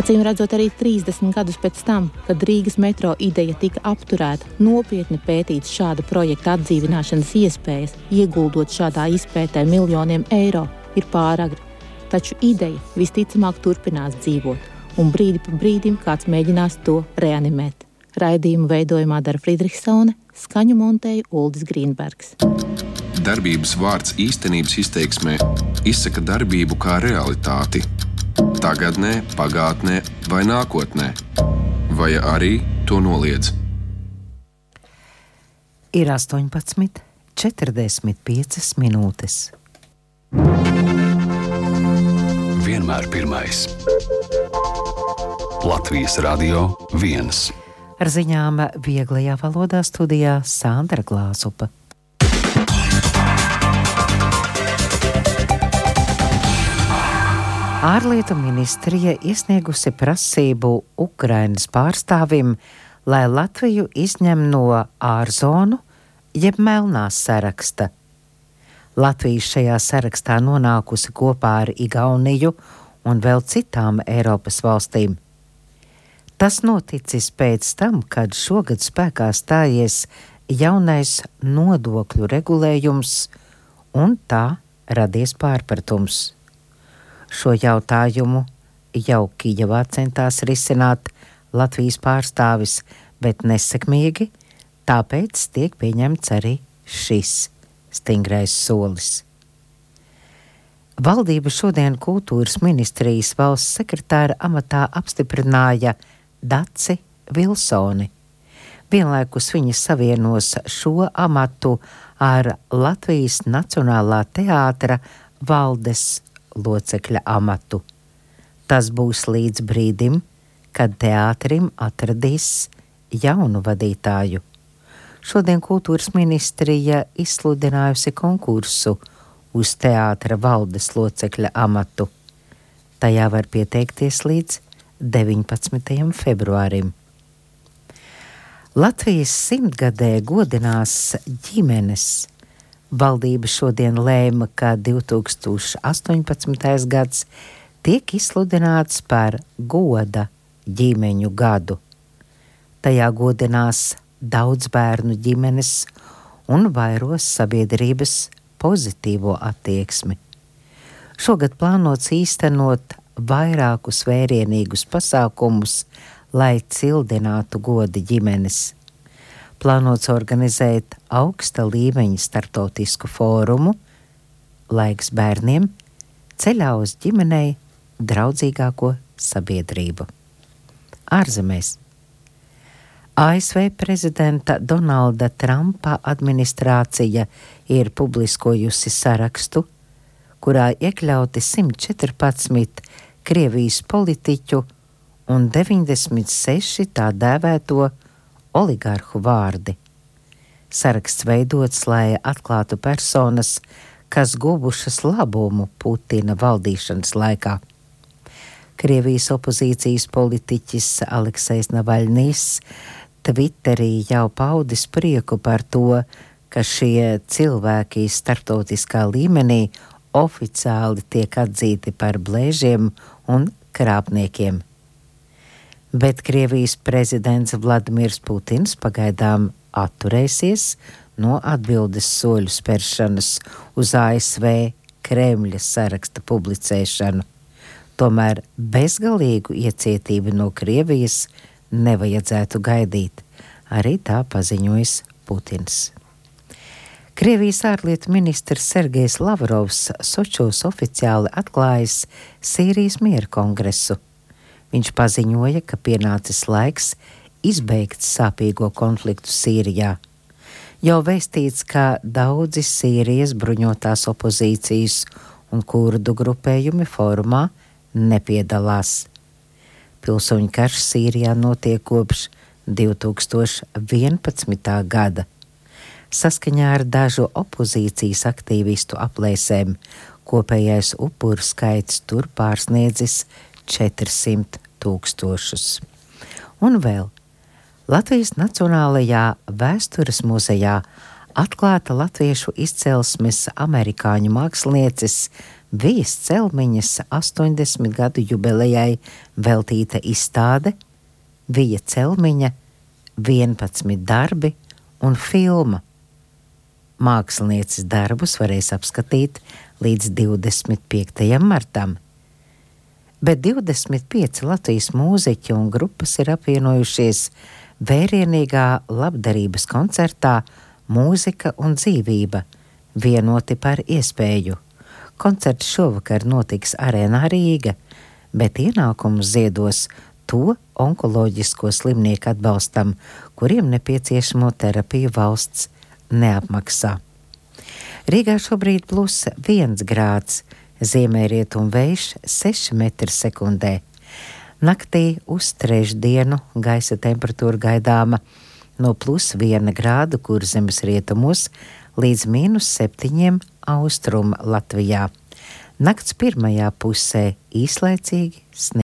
Acīm redzot, arī 30 gadus pēc tam, kad Rīgas metro ideja tika apturēta, nopietni pētīts šāda projekta atdzīvināšanas iespējas, ieguldot šādā izpētē miljoniem eiro, ir pāragri. Taču ideja visticamāk turpinās dzīvot, un brīdi pa brīdim kāds mēģinās to reanimēt. Raidījumu veidojumā dara Friedrichsone, skaņu montēja Uldis Grīnbergs. Darbības vārds īstenības izteiksmē izsaka darbību kā realitāti. Tagadnē, pagātnē vai nākotnē, vai arī to noliedz. Ir 18:45 minūtes. Vienmēr pirmais. Latvijas Radio 1. Ar ziņām vieglajā valodā studijā Sandra Glāzupa. Ārlietu ministrija iesniegusi prasību Ukrainas pārstāvim, lai Latviju izņem no ārzonu jeb melnās saraksta. Latvija šajā sarakstā nonākusi kopā ar Igauniju un vēl citām Eiropas valstīm. Tas noticis pēc tam, kad šogad spēkā stājies jaunais nodokļu regulējums un tā radies pārpratums. Šo jautājumu jau Kijevā centās risināt Latvijas pārstāvis, bet nesekmīgi, tāpēc tiek pieņemts arī šis stingrais solis. Valdība šodien kultūras ministrijas valsts sekretāra amatā apstiprināja Daci Vilsoni. Vienlaikus viņa savienos šo amatu ar Latvijas Nacionālā teātra valdes locekļa amatu. Tas būs līdz brīdim, kad teātrim atradīs jaunu vadītāju. Šodien kultūras ministrija izsludinājusi konkursu uz teātra valdes locekļa amatu. Tajā var pieteikties līdz 19. februārim. Latvijas 100-gadē godinās ģimenes. Valdība šodien lēma, ka 2018. gads tiek izsludināts par goda ģimeņu gadu. Tajā godinās daudz bērnu ģimenes un vairos sabiedrības pozitīvo attieksmi. Šogad plānots īstenot vairākus vērienīgus pasākumus, lai cildinātu goda ģimenes. Plānots organizēt augsta līmeņa starptautisku fórumu Laiks bērniem ceļā uz ģimenei draudzīgāko sabiedrību. Ārzemēs. ASV prezidenta Donalda Trumpa administrācija ir publiskojusi sarakstu, kurā iekļauti 114 Krievijas politiķu un 96 tā dēvēto oligarhu vārdi. Saraksts veidots, lai atklātu personas, kas guvušas labumu Putina valdīšanas laikā. Krievijas opozīcijas politiķis Aleksejs Navaļnijs Twitterī jau paudis prieku par to, ka šie cilvēki starptautiskā līmenī oficiāli tiek atzīti par blēžiem un krāpniekiem. Bet Krievijas prezidents Vladimirs Putins pagaidām atturēsies no atbildes soļu spēršanas uz ASV Kremļa saraksta publicēšanu. Tomēr bezgalīgu iecietību no Krievijas nevajadzētu gaidīt, arī tā paziņojis Putins. Krievijas ārlietu ministrs Sergejs Lavrovs Sočos oficiāli atklājis Sīrijas miera kongresu. Viņš paziņoja, ka pienācis laiks izbeigt sāpīgo konfliktu Sīrijā. Jau vēstīts, ka daudzi Sīrijas bruņotās opozīcijas un kurdu grupējumi fórumā nepiedalās. Pilsoņu karš Sīrijā notiek kopš 2011. gada. Saskaņā ar dažu opozīcijas aktīvistu aplēsēm kopējais upuru skaits tur pārsniedzis 400 000. Un vēl Latvijas Nacionālajā vēstures muzejā atklāta latviešu izcelsmes amerikāņu mākslinieces Vijas Celmiņas 80 gadu jubilejai veltīta izstāde Vija Celmiņa 11 darbi un filma. Mākslinieces darbus varēs apskatīt līdz 25. martam. Bet 25 Latvijas mūziķi un grupas ir apvienojušies vērienīgā labdarības koncertā Mūzika un dzīvība, vienoti par iespēju. Koncerts šovakar notiks Arēnā Rīga, bet ienākumus ziedos to onkoloģisko slimnieku atbalstam, kuriem nepieciešamo terapiju valsts neapmaksā. Rīgā šobrīd +1 grāds, ziemeļrietumu vējš 6 m/sekundē. Naktī uz trešdienu gaisa temperatūra gaidāma no +1 grādu Kurzemes rietumos līdz -7 austrumu Latvijā. Nakts pirmajā pusē īslaicīgi sniegs.